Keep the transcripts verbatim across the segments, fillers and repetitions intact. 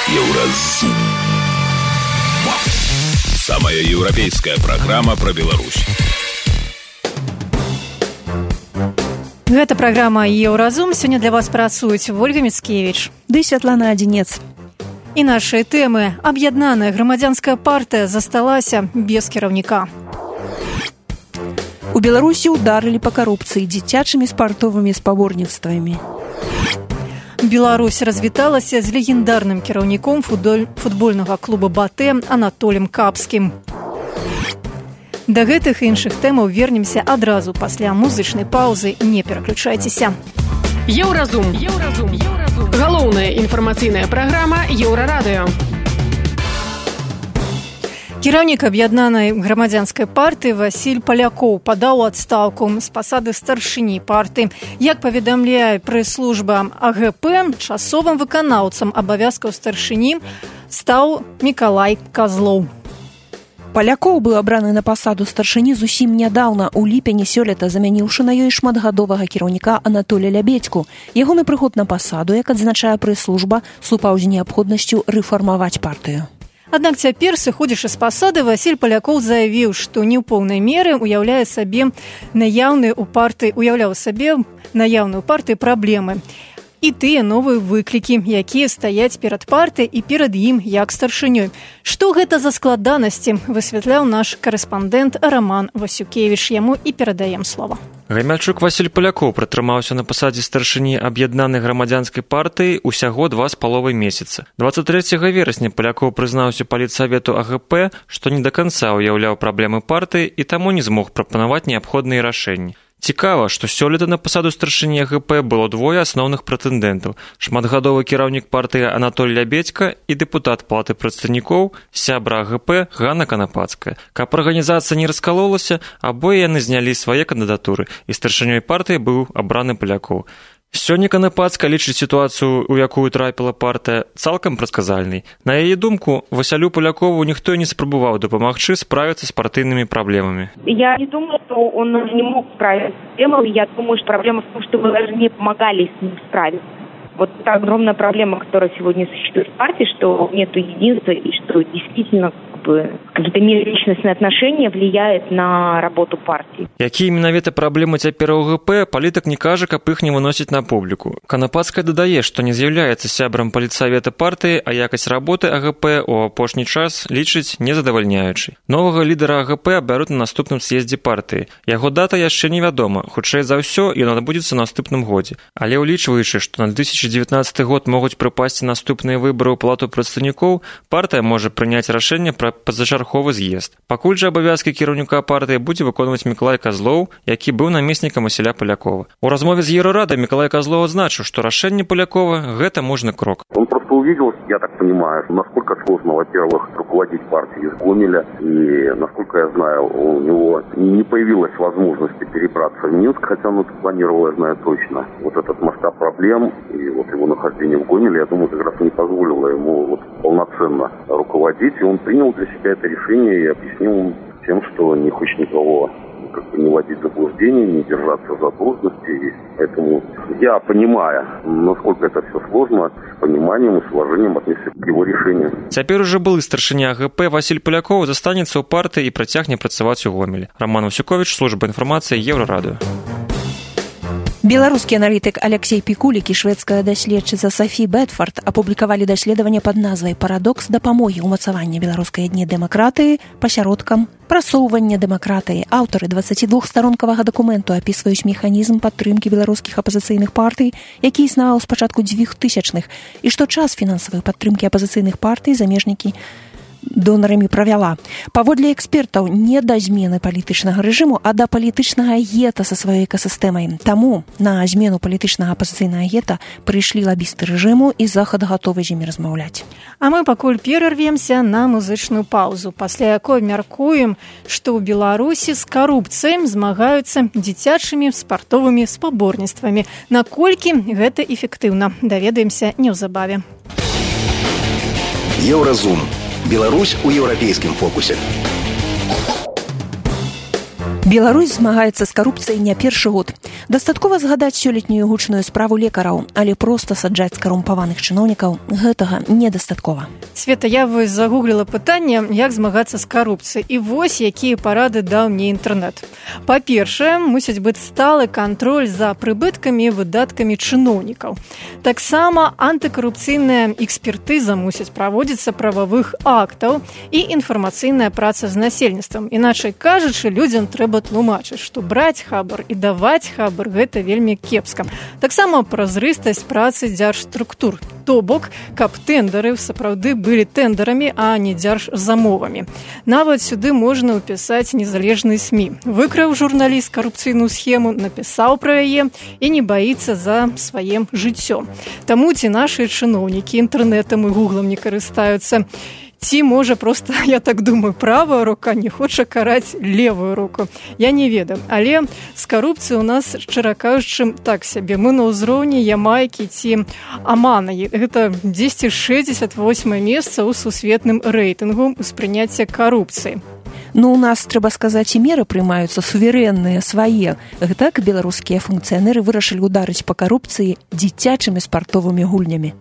Еўразум. Самая еўрапейская программа про Беларусь. Гэта праграма «Еўразум». Сёння для вас працуюць Ольга Мицкевич ды Святлана Адзінец. І нашыя тэмы. Аб'яднаная грамадзянская партыя засталася без кіраўніка. У Беларусі ударылі па карупцыі дзіцячымі спартовымі спаборніцтвамі. Беларусь развіталася з легендарным кіраўніком футбольнага клуба «Батэ» Анатолем Капскім. Да гэтых і іншых тэмаў вернемся адразу пасля музычнай паўзы. Не пераключайцеся. Еўразум. Еўразум. Еўразум. Галоўная інфармацыйная праграма Еўрарадыё. Кіраўнік аб'яднанай грамадзянскай партыі Васіль Палякоў падаў у адстаўку з пасады старшыні партыі. Як паведамляе прэс-служба А Гэ Пэ, часовым выканаўцам абавязкаў старшыні стаў Мікалай Казлоў. Палякоў быў абраны на пасаду старшыні зусім нядаўна, у ліпені сёлета, замяніўшы на ёй шматгадовага кіраўніка Анатоля Лябедзьку. Ягоны прыход на пасаду, як адзначае прэс-служба, супаў з неабходнасцю рэфармаваць партыю. Аднак цяпер, сыходзячы з пасады, Васіль Палякоў заявіў, што не ў поўнай меры уяўляе сабе наяўныя ў партыі, уяўляў сабе наяўную партыі праблемы. І тыя новыя выклікі, якія стаяць перад партыяй і перад ім як старшынёй. Што гэта за складанасці, высвятляў наш карэспандэнт Роман Васюкевіч. Яму і перадаем слова. Гамяльчук Васіль Палякоў пратрымаўся на пасадзе старшыні аб'яднанай грамадзянскай партыі ўсяго два з паловай месяца. дваццаць трэцяга верасня Палякоў прызнаўся палітсавету А Гэ Пэ, што не да канца ўяўляў праблемы партыі і таму не змог прапанаваць неабходныя рашэнні. Цікава, што сёлета на пасаду старшыні А Гэ Пэ было двое асноўных прэтэндэнтаў: шматгадовы кіраўнік партыі Анатоль Лябедзька і дэпутат палаты прадстаўнікоў, сябра А Гэ Пэ Ганна Канапацкая. Каб арганізацыя не раскалолася, абое яны знялі свае кандыдатуры, і старшынёй партыі быў абраны Палякоў. Сёння Канапацкая лічыць сітуацыю, у якую трапіла партыя, цалкам прадказальнай. На яе думку, Васялю Палякову ніхто не спрабаваў дапамагчы справіцца з партыйнымі праблемамі. Я не думаю, что он не мог справиться с проблемой. Я думаю, что проблема в том, что мы даже не помогали с ним справиться. Вот это огромная проблема, которая сегодня существует в партии, что нет единства и что действительно как бы, какие-то межличностные отношения влияют на работу партии. Якія менавіта праблемы цяпер у Гэ Пэ, палітык не кажа, каб іх не выносіць на публіку. Канапацкая дадае, што не з'яўляецца сябрам палітсавета партыі, а якасць работы А Гэ Пэ ў апошні час лічыць незадавальняючай. Новага лідара А Гэ Пэ абяруць на наступным з'ездзе партыі. Яго дата яшчэ невядома. Хутчэй за ўсё, ён адбудзецца на наступным годзе. Але ўлічваючы, што на две тысячи девятнадцатый год могуць прыпасці наступныя выбары ў палату прадстаўнікоў, партыя можа прыняць рашэнне пра пазачарговы з'езд. Пакуль жа абавязкі кіраўніка партыі будзе выконваць Мікалай Казлоў, які быў намеснікам Васіля Палякова. У размове з Еўрарадай Мікалай Казлоў адзначыў, што рашэнне Палякова – гэта мужны крок. Он просто увидел, я так понимаю, насколько сложно, во-первых, руководить партией из Гомеля, и, насколько я знаю, у него не появилась возможности перебраться в Минск, хотя он это планировал, я знаю точно. Вот этот масштаб проблем и вот его нахождение в Гомеле, я думаю, как раз не позволило ему вот полноценно руководить, и он принял для себя это решение и объяснил тем, что не хочет никого как бы не вводить в заблуждение, не держаться за должности. И поэтому я, понимая, насколько это все сложно, с пониманием и с уважением отнесся к его решению. Цяпер уже былы старшыня А Гэ Пэ Васіль Палякоў застанецца ў партыі і працягне працаваць у Гомелі. Роман Васюковіч, служба інфармацыі, Еўрарадыё. Беларускі аналітык Алексей Пікулік і шведская даследчыца Сафі Бэдфорд апублікавалі даследаванне пад назвай «Парадокс дапамогі ўмацавання беларускай этніі дэмакратыі пасяродкам прасоўвання дэмакратыі». Аўтары дваццацідвухстаронкавага дакументу апісваюць механізм падтрымкі беларускіх апазіцыйных партый, які існаваў з пачатку дзвюхтысячных, і што час фінансавай падтрымкі апазіцыйных партый замежнікі донарамі правяла. Паводле экспертаў, не да змены палітычнага рэжыму, а да палітычнага гета са сваёй экасістэмай. Таму на змену палітычнага апазіцыйнага гета прыйшлі лабісты рэжыму, і Захад гатовы з імі размаўляць. А мы пакуль перарвемся на музычную паўзу, пасля якой мяркуем, што ў Беларусі з карупцыяй змагаюцца дзіцячымі спартовымі спаборніцтвамі. Наколькі гэта эфектыўна, даведаемся неўзабаве. Еўразум. Беларусь у еўрапейскім фокусе. Беларусь змагаецца з карупцыяй не першы год. Дастаткова згадаць сёлетнюю гучную справу лекараў, але проста саджаць карумпаваных чыноўнікаў гэтага недастаткова. Света, я вось загугліла пытанне, як змагацца з карупцыяй. І вось якія парады даў мне інтэрнэт. Па-першае, мусіць быць сталы кантроль за прыбыткамі і выдаткамі чыноўнікаў. Таксама антыкарупцыйная экспертыза мусіць праводзіцца прававых актаў і інфармацыйная праца з насельніцтвам. Іначай кажучы, людзям трэба тлумачыць, што браць хабар і даваць хабар гэта вельмі кепска. Таксама празрыстасць працы дзяржструктур. То бок, каб тэндары сапраўды былі тэндарамі, а не дзяржзамовамі. Нават сюды можна ўпісаць незалежны СМІ. Выкраў журналіст карупцыйную схему, напісаў пра яе і не баіцца за сваім жыццё. Таму ці нашы чыноўнікі інтэрнэтам і гуглам не карыстаюцца, ці, можа, проста, я так думаю, правая рука не хоча караць левую руку. Я не ведаю. Але з карупцыяй у нас, шчыра кажучы, так сябе. Мы на ўзроўні Ямайкі ці Амана. Гэта дзесьці шэсцьдзесят восьмае месца ў сусветным рэйтынгу ўспрыняцця карупцыі. Ну, у нас, трэба сказаць, і меры прымаюцца суверэнныя, свае. Гэтак беларускія функцыянеры вырашылі ўдарыць па карупцыі дзіцячымі спартовымі гульнямі.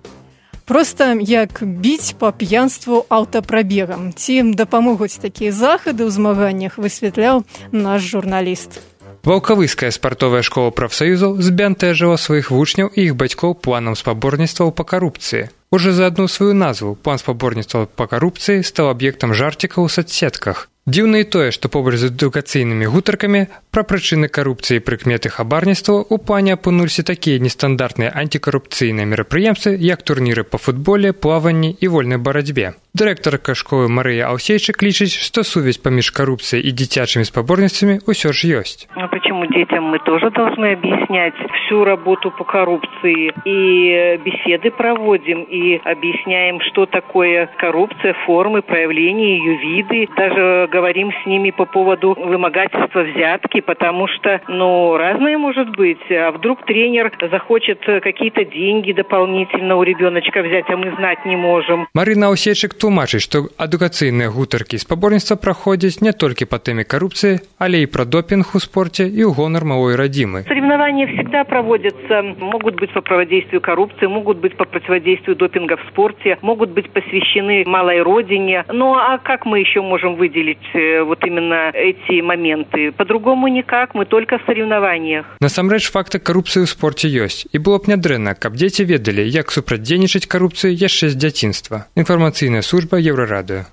Проста як біць па п'янству аўтапрабегам. Ці дапамогуць такія захады ў змаганнях, высвятляў наш журналіст. Ваўкавыская спартовая школа прафсаюзаў збянтэжыла сваіх вучняў і іх бацькоў планам спаборніцтваў па карупцыі. Уже за адну сваю назву план спаборніцтваў па карупцыі стаў аб'ектам жарцікаў у соцсетках. Дзіўна і тое, што побач з адукацыйнымі гутаркамі пра прычыны карупцыі і прыкметы хабарніцтва ў плане апынуліся такія нестандартныя антикарупцыйныя мерапрыемствы, як турніры па футболе, плаванні і вольнай барацьбе. Дырэктарка школы Марыя Алсейчык лічыць, што сувязь паміж карупцыяй і дзіцячымі спаборніцтвамі ўсё ж ёсць. А почему детям мы тоже должны объяснять всю работу по коррупции? И беседы проводим, и объясняем, что такое коррупция, формы, проявления, ее виды. Даже говорим с ними по поводу вымогательства взятки, потому что, ну, разное может быть. А вдруг тренер захочет какие-то деньги дополнительно у ребеночка взять, а мы знать не можем. Марина Алсейчык тлумачыць, што адукацыйныя гутаркі і спаборніцтва праходзяць не толькі па тэме карупцыі, але і пра допінг у спорце і ў гонар малой радзімы. Соревнования всегда проводятся, могут быть по противодействию коррупции, могут быть по противодействию допинга в спорте, могут быть посвящены малой родине. Ну а как мы еще можем выделить вот именно эти моменты? По-другому никак, мы только в соревнованиях. Насамрэч факты карупцыі ў спорце ёсць, і было б нядрэнна, каб дзеці ведалі, як супрацьдзейнічаць карупцыі яшчэ з дзяцінства. Інфармацыйная служба Еўрарадыё.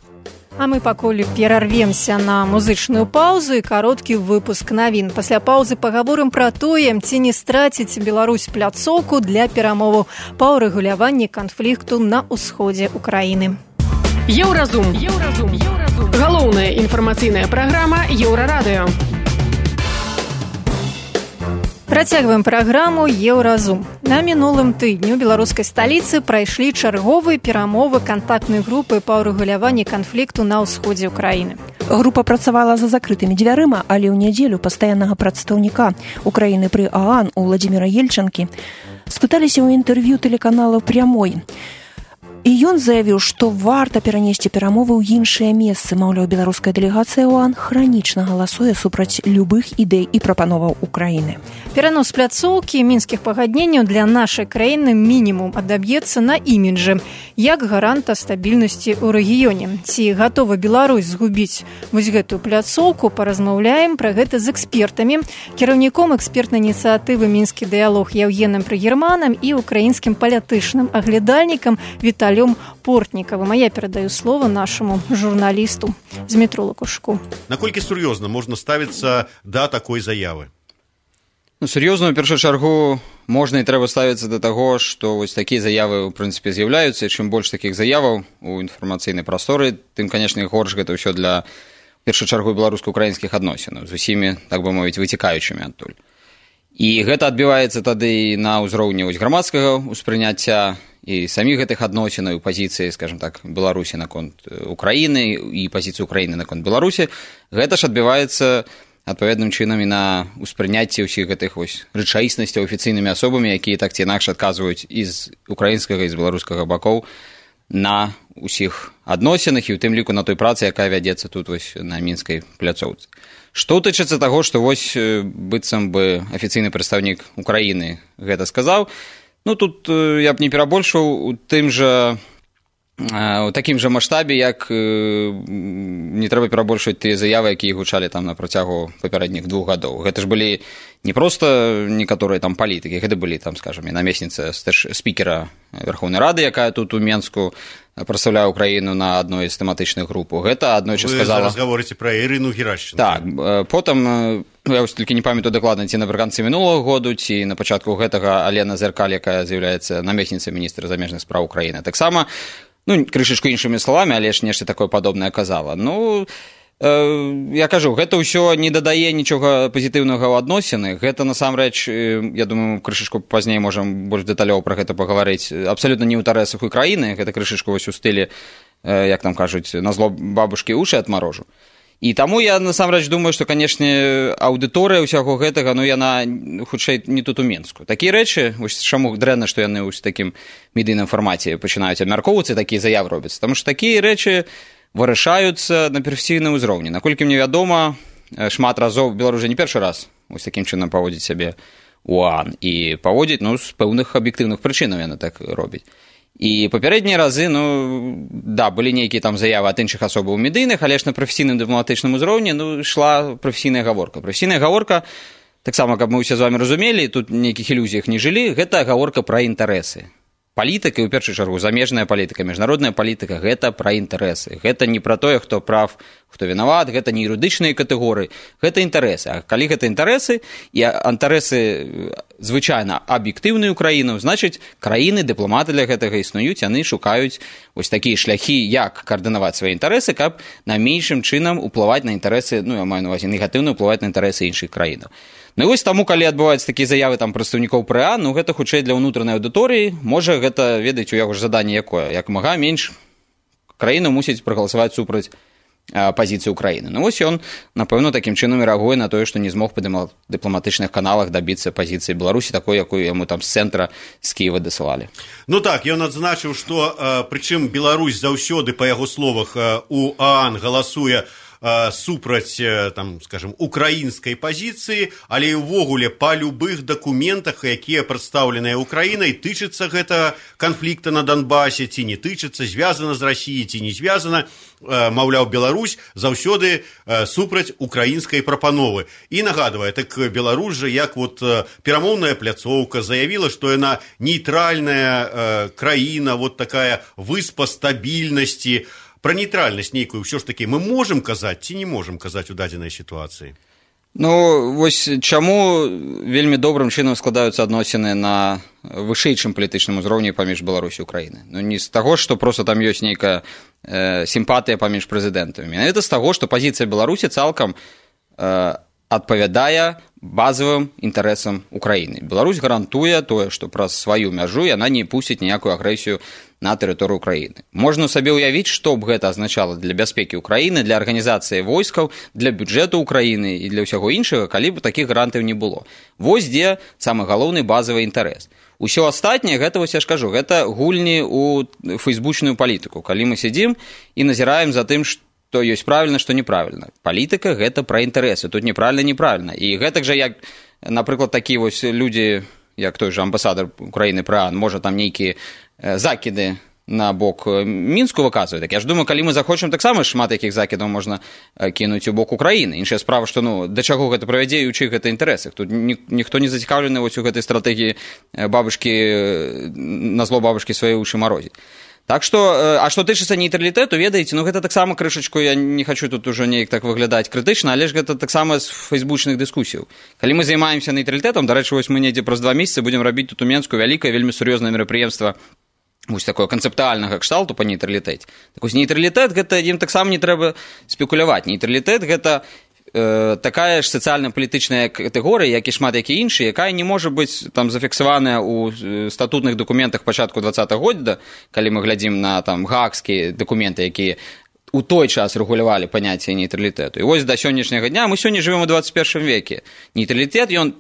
А мы пакуль перарвемся на музычную паузу і кароткі выпуск навін. Пасля паўзы пагаворым пра тое, ці не страціць Беларусь пляцоўку для перамоваў па ўрэгуляванні канфлікту на ўсходзе Украіны. Еўразум. Еўразум. Еўразум. Галоўная інфармацыйная праграма Еўрарадыё. Працягваем праграму «Еўразум». На мінулым тыдню ў беларускай сталіцы прайшлі чарговыя перамовы кантактнай групы па ўрэгуляванні канфлікту на ўсходзе ўкраіны. Група працавала за закрытымі дзвярыма, але ў нядзелю пастаяннага прадстаўніка Украіны пры ААН Уладзіміра Ельчанкі спыталіся ў інтэрв'ю тэлеканалу «Прямой». І ён заявіў, што варта перанесці перамовы ў іншыя месцы. Маўляў, беларуская дэлегацыя ОАН хранічна галасуе супраць любых ідэй і прапановаў Украіны. Перанос пляцоўкі мінскіх пагадненняў для нашай краіны мінімум адаб'ецца на іміджы, як гаранта стабільнасці ў рэгіёне. Ці гатова Беларусь згубіць вось гэтую пляцоўку, паразмаўляем пра гэта з экспертамі, кіраўніком экспертнай ініцыятывы «Мінскі дыялог» Яўгенам Прыгерманам і украінскім палітычным аглядальнікам Віталіем Портнікавым. А я перадаю слово нашаму журналісту Змітру Лакушку. Наколькі сур'ёзна можна ставіцца да такой заявы? Ну, сур'ёзна, у першую чаргу, можна і трэба ставіцца да таго, што вось такія заявы, у прынцыпе, з'яўляюцца, і чым больш такіх заяваў у інфармацыйнай прасторы, тым, канешне, горш гэта ўсё для, у першую чаргу, беларуска-украінскіх адносінаў, з усімі, так бы мовіць, выцікаючымі адтуль. І гэта адбіваецца тады на ўзроўні вось грамадскага ўспрыняцця і саміх гэтых адносінаў, пазіцыі, скажем так, Беларусі наконт Украіны і пазіцыі Украіны наконт Беларусі, гэта ж адбіваецца адпаведным чынам і на ўспрыняцці ўсіх гэтых вось рэчаіснасцяў афіцыйнымі асобамі, якія так ці інакш адказваюць і з украінскага і з беларускага бакоў на ўсіх адносінах і ў тым ліку на той працы, якая вядзецца тут вось на мінскай пляцоўцы. Што тычыцца таго, што вось быццам бы афіцыйны прадстаўнік Украіны гэта сказаў, ну тут я б не перабольшваў у тым жа у такім жа маштабе, як не трэба перабольшваць тыя заявы, якія гучалі там на працягу папярэдніх двух гадоў. Гэта ж былі не проста некаторыя там палітыкі, гэта былі там, скажам, намесніца спікера Верховнай Рады, якая тут у Менску прадстаўляе Украіну на адной з тэматычных груп. Гэта аднойчы сказала... Вы зараз гаворыце пра Ірыну Герашченко. Так, потым, я вось толькі не памятаю дакладна, ці напрыканцы мінулага году, ці на пачатку гэтага Алена Зеркаль, якая з'яўляецца намесніцай міністра замежных спраў Украіны. Таксама, ну, крышачку іншымі словамі, але ж нешта такое падобнае казала. Ну, э, я кажу, гэта ўсё не дадае нічога пазітыўнага ў адносіны. Гэта, насамрэч, я думаю, крышачку пазней можам больш дэталёў пра гэта пагаварыць, абсалютна не ў інтарэсах Украіны. Гэта крышачку вось у стылі, э, як там кажуць, на зло бабушкі уши адмарожу. І таму я, насамрэч, думаю, што, канешне, аўдыторыя ўсяго гэтага, ну, яна, хутчэй, не тут у Менску. Такія рэчы, вось чаму дрэнна, што яны ў такім медыйным фармаце пачынаюць абмяркоўвацца, такія заявы робяцца. Таму што такія рэчы вырашаюцца на прафесійным узроўні. Наколькі мне вядома, шмат разоў Беларусь не першы раз вось такім чынам паводзіць сябе ў ОАН. І паводзіць, ну, з пэўных аб'ектыўных прычынаў яна так робіць. І папярэднія разы, ну, да, былі нейкія там заявы ад іншых асобаў медыйных, але ж на прафесійным дыпламатычным узроўні, ну, ішла прафесійная гаворка. Прафесійная гаворка, таксама, каб мы ўсе з вамі разумелі, тут нейкіх ілюзіях не жылі, гэта гаворка пра інтарэсы. Палітыка, і ў першую чаргу, замежная палітыка, міжнародная палітыка, гэта пра інтарэсы. Гэта не пра тое, хто прав, хто вінават, гэта не юрыдычныя катэгорыі, гэта інтарэсы. А калі гэта інтарэсы, і інтарэсы звычайна аб'ектыўныя ў краіну, значыць, краіны, дыпламаты для гэтага існуюць, яны шукаюць вось такія шляхі, як каардынаваць свае інтарэсы, каб на меншым чынам уплываць на інтарэсы, ну, я маю на ўвазе, негатыўна ўплываць на інтарэсы іншых краінаў. Ну і вось таму, калі адбываюцца такія заявы там прадстаўнікоў ПРА, ну гэта хутчэй для ўнутранай аўдыторыі, можа гэта, ведаць, у яго ж заданне якое, як мага менш краіну мусіць прагаласаваць супраць а, пазіцыі Украіны. Ну вось ён, напэўна, такім чынам рэагуе на тое, што не змог па дыпламатычных каналах дабіцца пазіцыі Беларусі, такой, якую яму там з цэнтра, з Кіева дасылалі. Ну так, ён адзначыў, што, прычым Беларусь заўсёды, па яго словах, у ААН галасуе супраць, там, скажем, украінскай пазіцыі, але і ўвогуле па любых дакументах, якія прадстаўленыя Украінай, тычыцца гэта канфлікта на Донбасе, ці не тычыцца, звязана з Расіяй, ці не звязана, маўляў, Беларусь заўсёды супраць украінскай прапановы. І нагадвае, так Беларусь жа, як вот перамоўная пляцоўка, заявіла, што яна нейтральная краіна, вот такая выспа стабільнасці. Пра нейтральнасць нейкую ўсё ж такі мы можам казаць ці не можам казаць у дадзенай сітуацыі? Ну, вось чаму вельмі добрым чынам складаюцца адносіны на вышэйшым палітычным узроўні паміж Беларусі і Украінай. Ну, не з таго, што проста там ёсць нейкая э, сімпатыя паміж прэзідэнтамі. Менавіта з таго, што пазіцыя Беларусі цалкам э, адпавядае базавым інтарэсам Украіны. Беларусь гарантуе тое, што праз сваю мяжу яна не пусціць ніякую агрэсію на тэрыторыю Украіны. Можна сабе ўявіць, што б гэта азначала для бяспекі Украіны, для арганізацыі войскаў, для бюджэту Украіны і для ўсяго іншага, калі б такіх гарантыяў не было. Вось дзе самы галоўны базавы інтарэс. Усё астатняе, гэта, вось я ж кажу, гэта гульні ў фэйсбучную палітыку. Калі мы сядзім і назіраем за тым, што ёсць правільна, што неправільна. Палітыка – гэта пра інтарэсы, тут неправільна, неправільна. І гэтак жа, як, напрыклад, такія вось людзі, як той жа амбасадар Украіны пра ААН, можа там нейкія закіды на бок Мінску выказвае. Так я ж думаю, калі мы захочам, таксама шмат якіх закідаў можна кінуць у бок Украіны. Іншая справа, што, ну, да чаго гэта правядзе і ў чых гэта інтарэсах. Тут ні, ніхто не зацікаўлены вось у гэтай стратэгіі бабушкі, на зло бабушкі свае уши марозіць. Так што, а што тычыцца нейтралітэту, ведаеце, ну гэта таксама крышачку, я не хачу тут ужо неяк так выглядаць крытычна, але ж гэта таксама з фэйсбучных дыскусіяў. Калі мы займаемся нейтралітэтам, дарэчы, вось мы недзе праз два месяцы будзем рабіць тут у Менску вялікае, вельмі сур'ёзнае мерапрыемства вось такое канцэптуальнага кшталту па нейтралітэце. Так вось нейтралітэт, гэта ім таксама не трэба спекуляваць. Нейтралітэт гэта э, такая ж сацыяльна-палітычная катэгорыя, як і шмат які іншы, якая не можа быць там зафіксаваная ў статутных дакументах пачатку двадцатага года, калі мы глядзім на там гаагскія дакументы, якія у той час рэгулявалі паняцце нейтралітэту. І вось да сённяшняга дня мы сёння жывем у двадцать першым веке. Нейтралітэт, ён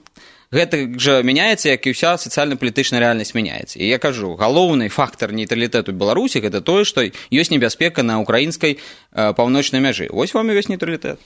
гэта жа мяняецца, як і ўся сацыяльна-палітычная рэальнасць мяняецца. І я кажу, галоўны фактар нейтралітэту Беларусі гэта тое, што ёсць небяспека на украінскай э, паўночнай мяжы. Вось вам і весь нейтралітэт.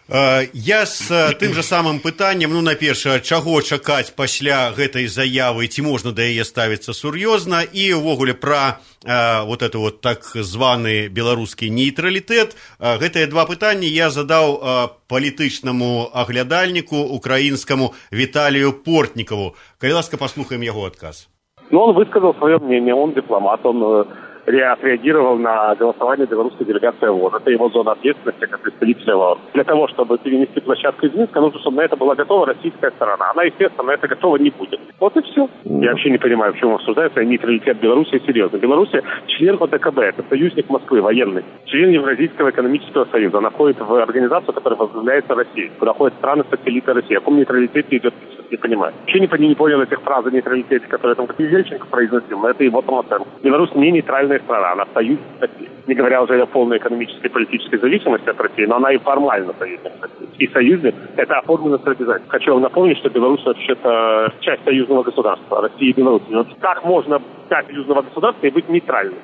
Я з тым жа самым пытаннем, ну, наперша, чаго чакаць пасля гэтай заявы, ці можна да яе ставіцца сур'ёзна, і ўвогуле пра э, вот это вот так званы беларускі нейтралітэт. Гэтыя два пытанні я задаў э, палітычнаму аглядальніку украінскаму Віталію Портнікаву. Калі ласка, паслухаем яго адказ. Ну, он высказал свое мнение, он дипломат, он отреагировал на голосование белорусской делегации ООН. Это его зона ответственности как представителя ООН. Для того, чтобы перенести площадку из Минска, нужно, чтобы на это была готова российская сторона. Она, естественно, на это готова не будет. Вот и все. Я вообще не понимаю, в чем обсуждается нейтралитет Беларуси. Серьезно. Беларусь член ОДКБ, это союзник Москвы, военный. Член Евразийского экономического союза. Она входит в организацию, которая возглавляется Россией. Куда ходят страны-сателлиты России. О каком нейтралитете идет, не понимаю. Вообще не, не понял этих фраз о нейтралитете, которые там как Ельченко произносил, но это его самооценка. Беларусь не нейтральная страна, она союз России. Не говоря уже о полной экономической и политической зависимости от России, но она и формально союзник России. И союзник – это оформлено с обязательством. Хочу вам напомнить, что Беларусь вообще-то часть союзного государства, России и Беларуси. Вот как можно стать союзного государства и быть нейтральным?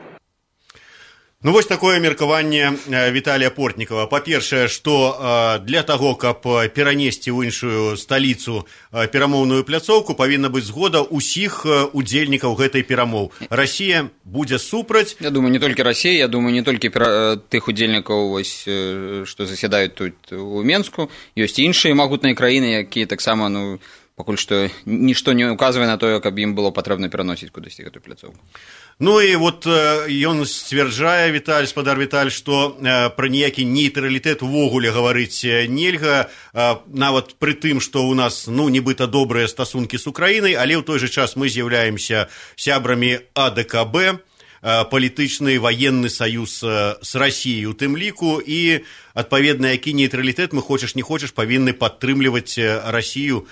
Ну, вось такое меркаванне Віталія Портнікава. Па-першае, што для таго, каб перанесці ў іншую сталіцу перамоўную пляцоўку, павінна быць згода ўсіх удзельнікаў гэтай перамоў. Расія будзе супраць. Я думаю, не толькі Расія, я думаю, не толькі пера... тых удзельнікаў, вось, што заседаюць тут у Менску. Ёсць і іншыя магутныя краіны, якія таксама, ну, пакуль што нішто не указвае на тое, каб ім было патрэбна пераносіць кудысьці гэтую пляцоўку. Ну і вот ён сцвярджае, Віталь, спадар Віталь, што пра ніякі нейтралітэт увогуле гаварыць нельга, нават пры тым, што ў нас, ну, нібыта добрыя стасункі з Украінай, але ў той жа час мы з'яўляемся сябрамі АДКБ, палітычны ваенны саюз з Расіяй у тым ліку, і адпаведна, які нейтралітэт мы хочаш не хочаш павінны падтрымліваць Расію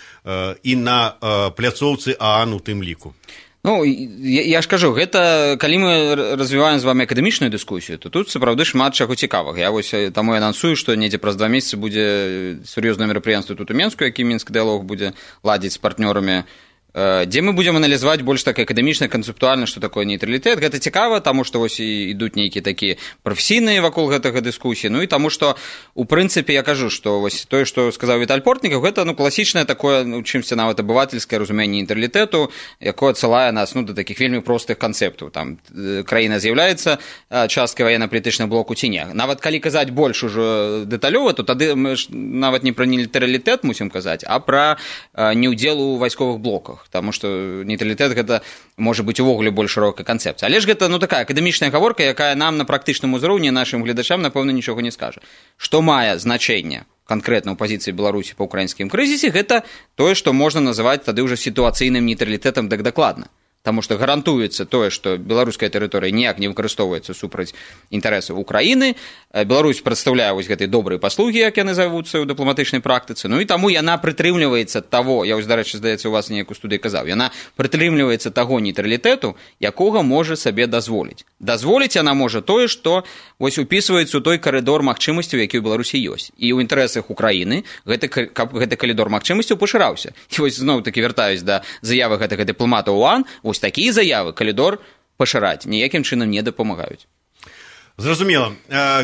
і на пляцоўцы ААН у тым ліку. Ну, я, я ж кажу, гэта, калі мы развіваем з вами акадэмічную дыскусію, то тут сапраўды шмат чаго цікавага. Я вось таму анансую, што недзе праз два месяцы будзе сур'ёзнае мерапрыемства тут у Менску, які Мінск дыялог будзе ладзіць з партнёрамі, дзе мы будзем аналізаваць больш так акадэмічна, канцэптуальна, што такое нейтралітэт. Гэта цікава, таму што вось ідуць нейкія такія прафесійныя вакол гэтага дыскусіі. Ну і таму што, у прынцыпе, я кажу, што вось тое, што сказаў Віталь Портнікаў, гэта, ну, класічнае такое, ну, чымся нават абывательскае разуменне нейтралітэту, якое адсылае нас, ну, да такіх вельмі простых канцэптаў. Там краіна з'яўляецца часткай ваенна-палітычнага блоку ці не. Нават калі казаць больш ужо дэталёва, то тады мы ж нават не пра нейтралітэт мусім казаць, а пра неўдзел у вайсковых блоках. Таму што нейтралітэт гэта можа быць увогуле больш шырокая канцэпцыя. Але ж гэта, ну, такая акадэмічная гаворка, якая нам на практычным узроўні нашым гледачам, напэўна, нічога не скажа. Што мае значэнне канкрэтна ў пазіцыі Беларусі па ўкраінскім крызісе, гэта тое, што можна называць тады ўжо сітуацыйным нейтралітэтам так дакладна. Таму што гарантуецца тое, што беларуская тэрыторыя ніяк не выкарыстоўваецца супраць інтарэсаў Украіны. Беларусь прадстаўляе вось гэтай добрыя паслугі, як яны завуцца ў дыпламатычнай практыцы. Ну і таму яна прытрымліваецца таго, я вось, дарэчы, здаецца, у вас неяк у студыі казаў, яна прытрымліваецца таго нейтралітэту, якога можа сабе дазволіць. Дазволіць яна можа тое, што вось упісваецца ў той карыдор магчымасцяў, які ў Беларусі ёсць. І ў інтарэсах Украіны гэты, каб гэты калідор магчымасцяў пашыраўся. І вось зноў-такі вяртаюсь да заявы гэтага дыпламата ОАН. Вось такія заявы калідор пашыраць ніякім чынам не дапамагаюць. Зразумела.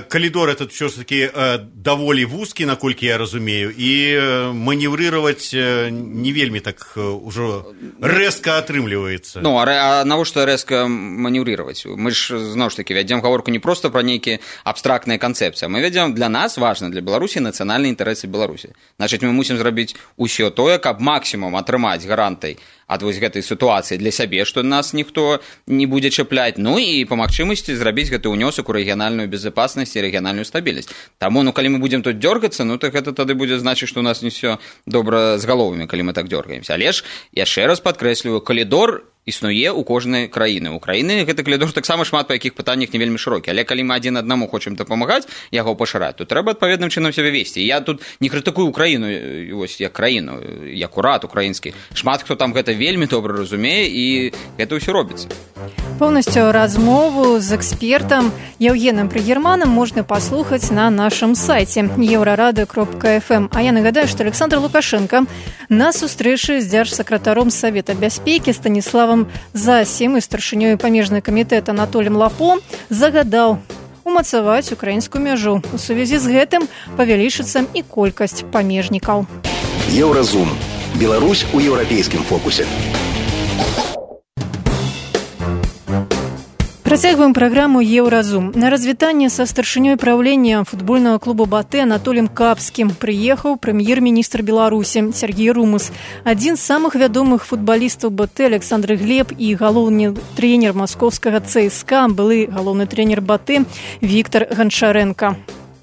Калідор этот все ж таки даволі вузкі, наколькі я разумею, і маневрировать не вельмі так ужо рэзка атрымліваецца. Ну, а навошта рэзка маневрировать? Мы ж, зноў ж таки, вядзем гаворку не проста пра нейкія абстрактныя канцэпцыі, мы вядзем, для нас важна, для Беларусі, нацыянальныя інтарэсы Беларусі. Значыць, мы мусім зрабіць усё тое, каб максімум атрымаць гарантай ад вось гэтай сітуацыі для сябе, што нас ніхто не будзе чапляць, ну і па магчымасці зрабіць гэты ўнёсак у рэгіянальную безопасность і рэгіянальную стабільнасць. Таму, ну, калі мы будзем тут дёргацца, ну, так гэта тады будзе значыць, што у нас не ўсё добра з галовамі, калі мы так дёргаемся. Але ж, яшчэ раз падкрэсліваю, калідор існуе ў кожнай краіны. У краіны гэты калідор таксама шмат па якіх пытаннях не вельмі шырокі. Але калі мы адзін аднаму хочам дапамагаць, яго пашыраць, то трэба адпаведным чынам сябе весці. Я тут не крытыкую Украіну, вось, як краіну, як урад украінскі. Шмат хто там гэта вельмі добра разумее, і гэта ўсё робіцца. Полностью размову з экспертам Евгеном Пригерманом можна паслухаць на нашым сайце еўрарады кропка эф эм. А я нагадаю, што Александр Лукашенко на сустрэчы з дзяржсакратаром Савета бяспекі Станіславам Засім і старшынёй памежнага камітэта Анатоліем Лапо загадаў у умацаваць украінскую мяжу. У сувязі з гэтым павялічыцца і колькасць памежнікаў. Еўразум. Беларусь у еўрапейскім фокусе. Працягваем праграму «Еўразум». На развітанне са старшынёй праўлення футбольнага клуба «Батэ» Анатоліем Капскім прыехаў прэм'ер-міністр Беларусі Сергей Румус. Адзін з самых вядомых футбалістаў «Батэ» Александр Глеб і галоўны трэнер маскоўскага ЦСКА, былы галоўны трэнер «Батэ» Віктор Ганчаренко.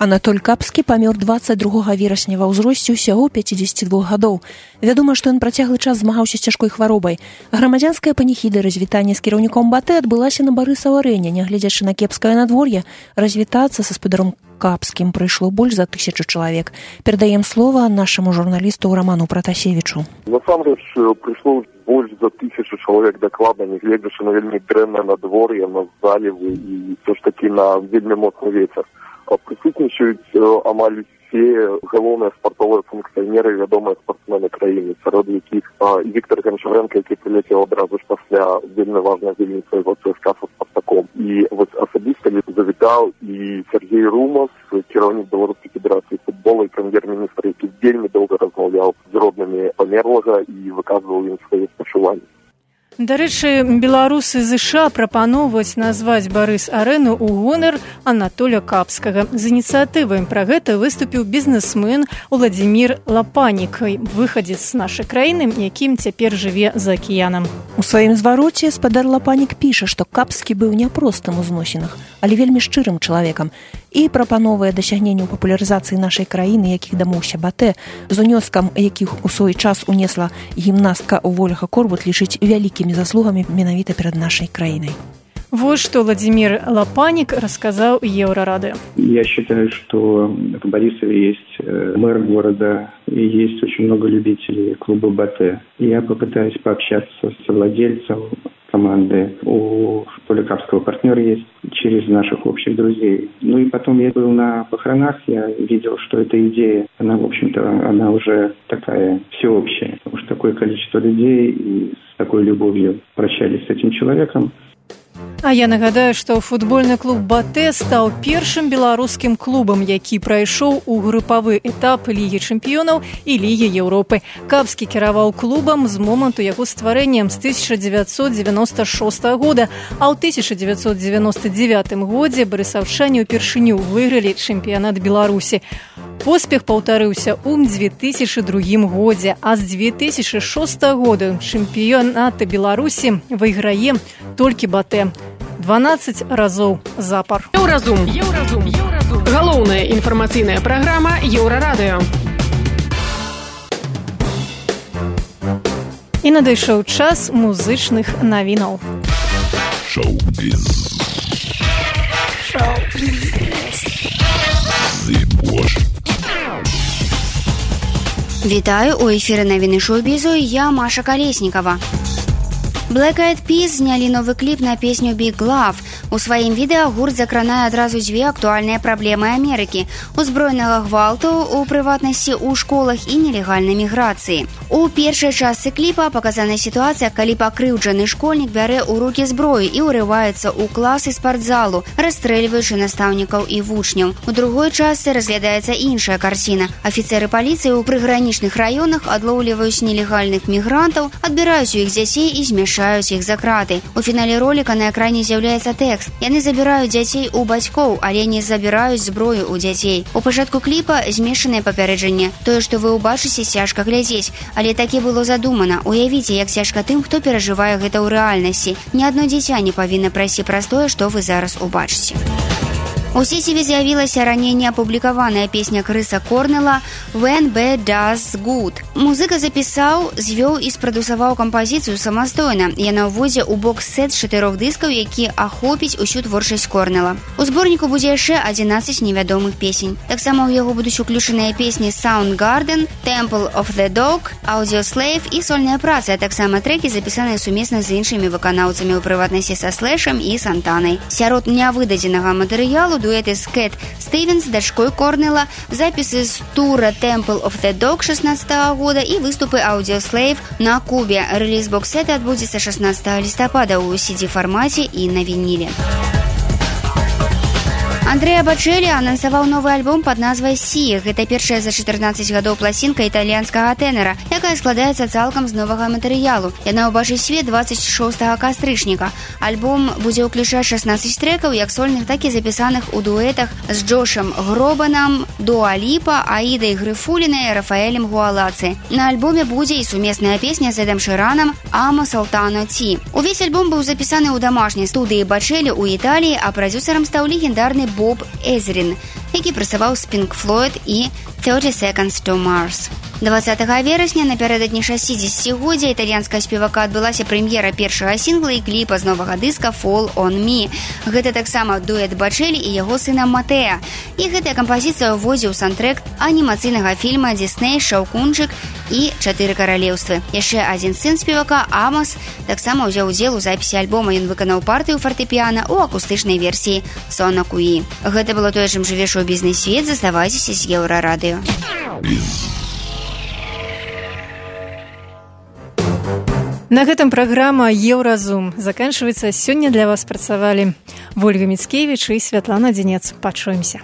Анатоль Капскі памёр дваццаць другога верасня ва ўзросце ўсяго пяцідзесяці двух гадоў. Вядома, што ён працяглы час змагаўся з цяжкой хваробай. Грамадзянская паніхіда развітання з кіраўніком Батэ адбылася на Барысава-арэне. Нягледзячы на кепскае надвор'е, развітацца са спадаром Капскім прыйшло больш за тысячу чалавек. Перадаем слова нашаму журналісту Роману Пратасевічу. Насамрэч прыйшло больш за тысячу чалавек дакладна, нягледзячы на вельмі дрэннае надвор'е, на залівы і ўсё ж такі на вельмі моцны вецер. Прысутнічаюць амаль усе галоўныя спартовыя функцыянеры і вядомыя спартсмены краіны, сярод якіх Віктор Ганчаренко, які прыляцеў адразу ж пасля вельмі важнай гульні свайго ЦСКА са Спартаком. І вось асабіста завітаў і Сергей Румус, кіраўнік Беларускай федэрацыі футбола і прэм'ер-міністр, які вельмі доўга размаўляў з роднымі памерлага і выказваў ім свае спачуванні. Дарэчы, беларусы ЗША прапаноўваюць назваць Барыс-арэну ў гонар Анатоля Капскага. З ініцыятывай пра гэта выступіў бізнесмен Уладзімір Лапанік, выхадзец з нашай краіны, якім цяпер жыве за акіянам. У сваім звароце спадар Лапанік піша, што Капскі быў не простым у зносінах, але вельмі шчырым чалавекам і прапановае дасягненне ў папулярызацыі нашай краіны, якіх дамоўся Батэ, з унёскам якіх у свой час унесла гімнастка Ольга Корбут, лічыць вялікімі заслугамі менавіта перад нашай краінай. Вот что Владимир Лапаник рассказал Еврорадио. Я считаю, что в Борисове есть мэр города и есть очень много любителей клуба «Батэ». Я попытаюсь пообщаться с владельцем команды. У Поликапского партнера есть через наших общих друзей. Ну и потом я был на похоронах, я видел, что эта идея, она, в общем-то, она уже такая всеобщая. Потому что такое количество людей и с такой любовью прощались с этим человеком. А я нагадаю, што футбольны клуб «Батэ» стаў першым беларускім клубам, які прайшоў у групавы этап Лігі чэмпіёнаў і Лігі Еўропы. Капскі кіраваў клубам з моманту яго стварэння з тысяча дзевяцьсот дзевяноста шостага года, а ў тысяча дзевяцьсот дзевяноста дзевятым годзе барысаўчане ўпершыню выйгралі чэмпіянат Беларусі. Поспех паўтарыўся ў дзве тысячы другім годзе, а з дзве тысячы шостага года чэмпіёната Беларусі выйграе толькі «Батэ». дванаццаць разоў запар. Еўразум. Еўразум. Еўразум. Галоўная інфармацыйная праграма Еўрарадыё. І надышоў час музычных навінаў. Шоу-біз. Шоу-біз. Вітаю, у эфіры навіны шоу-бізу, я Маша Калеснікава. Black Eyed Peas знялі новы кліп на песню Big Love. У сваім відэа гурт закранае адразу дзве актуальныя праблемы Амерыкі – узброенага гвалту, у прыватнасці ў школах і нелегальнай міграцыі. У першай частцы кліпа паказана сітуацыя, калі пакрыўджаны школьнік бярэ ў рукі зброю і ўрываецца ў класы спартзалу, расстрэльваючы настаўнікаў і вучняў. У другой частцы разглядаецца іншая карціна. Афіцеры паліцыі ў прыгранічных раёнах адлоўліваюць нелегальных мігрантаў, адбіраюць у іх дзяцей і змяшаюць іх за краты. У фінале роліка на экране з'яўляецца тэкст. Яны забіраюць дзяцей у бацькоў, але не забіраюць зброю ў дзяцей. У пачатку кліпа змешанае папярэджанне. Тое, што вы ўбачыце, цяжка глядзець, але такі было задумана. Уявіце, як цяжка тым, хто перажывае гэта ў рэальнасці. Ні адно дзіця не павінна прайсці праз тое, што вы зараз убачыце. У сеціве з'явілася раней неапублікаваная песня Крыса Корнела «When Bad Does Good». Музыка запісаў, звёў і спрадусаваў кампазіцыю самастойна. Яна ўводзе ў бокс-сет з чатырох дыскаў, які ахопіць усю творчасць Корнела. У зборніку будзе яшчэ адзінаццаць невядомых песень. Таксама ў яго будуць уключаныя песні «Soundgarden», «Temple of the Dog», «Audioslave» і сольная праца, а таксама трэкі, запісаныя сумесна з іншымі выканаўцамі, у прыватнасці са Слэшам і Сантанай. Сярод нявыдадзенага матэрыялу дуэты з Кэт Стивенс, дачкой Корнела, запісы з тура Temple of the Dog шаснаццатага года і выступы Audioslave на Кубе. Рэліз бокс-сета адбудзецца шаснаццатага лістапада ў си ди-фармаце і на вініле. Андрэа Бачэлі анансаваў новы альбом пад назвай «Сі». Гэта першая за чатырнаццаць гадоў пласінка італьянскага тэнара, якая складаецца цалкам з новага матэрыялу. Яна ўбачыць свет дваццаць шостага кастрычніка. Альбом будзе ўключаць шаснаццаць трэкаў, як сольных, так і запісаных у дуэтах з Джошам Гробанам, Дуа Ліпа, Аідай Грыфулінай, Рафаэлем Гуалаци. На альбоме будзе і сумесная песня з Эдам Шыранам «Ама Салтано Ці». Увесь альбом быў запісаны ў дамашняй студыі Бачэлі ў Італіі, а прадзюсарам стаў легендарны Боб Эзрин, які працаваў з Pink Floyd і thirty seconds to Mars. дваццатага верасня напярэдадні шасцідзесяцігоддзя італьянскага спевака адбылася прэм'ера першага сінгла і кліпа з новага дыска «Fall on Me». Гэта таксама дуэт Бачэлі і яго сына Матэа. І гэтая кампазіцыя ўводзіў саундтрэк анімацыйнага фільма «Дисней. Шаўкунчык» і «Чатыры каралеўствы». Яшчэ адзін сын спевака, Амос, таксама ўзяў удзел у запіси альбома. Ён выканаў партыю фартэпіяна ў акустычнай версіі «Сона Куі». Гэта было тое, чым жыве шоу-бізнес-свет. Заставайцеся з Еўрарадыё. На гэтым праграма «Еўразум» заканчваецца. Сёння для вас працавалі Вольга Міцкевіч і Святлана Дзінец. Пачуемся.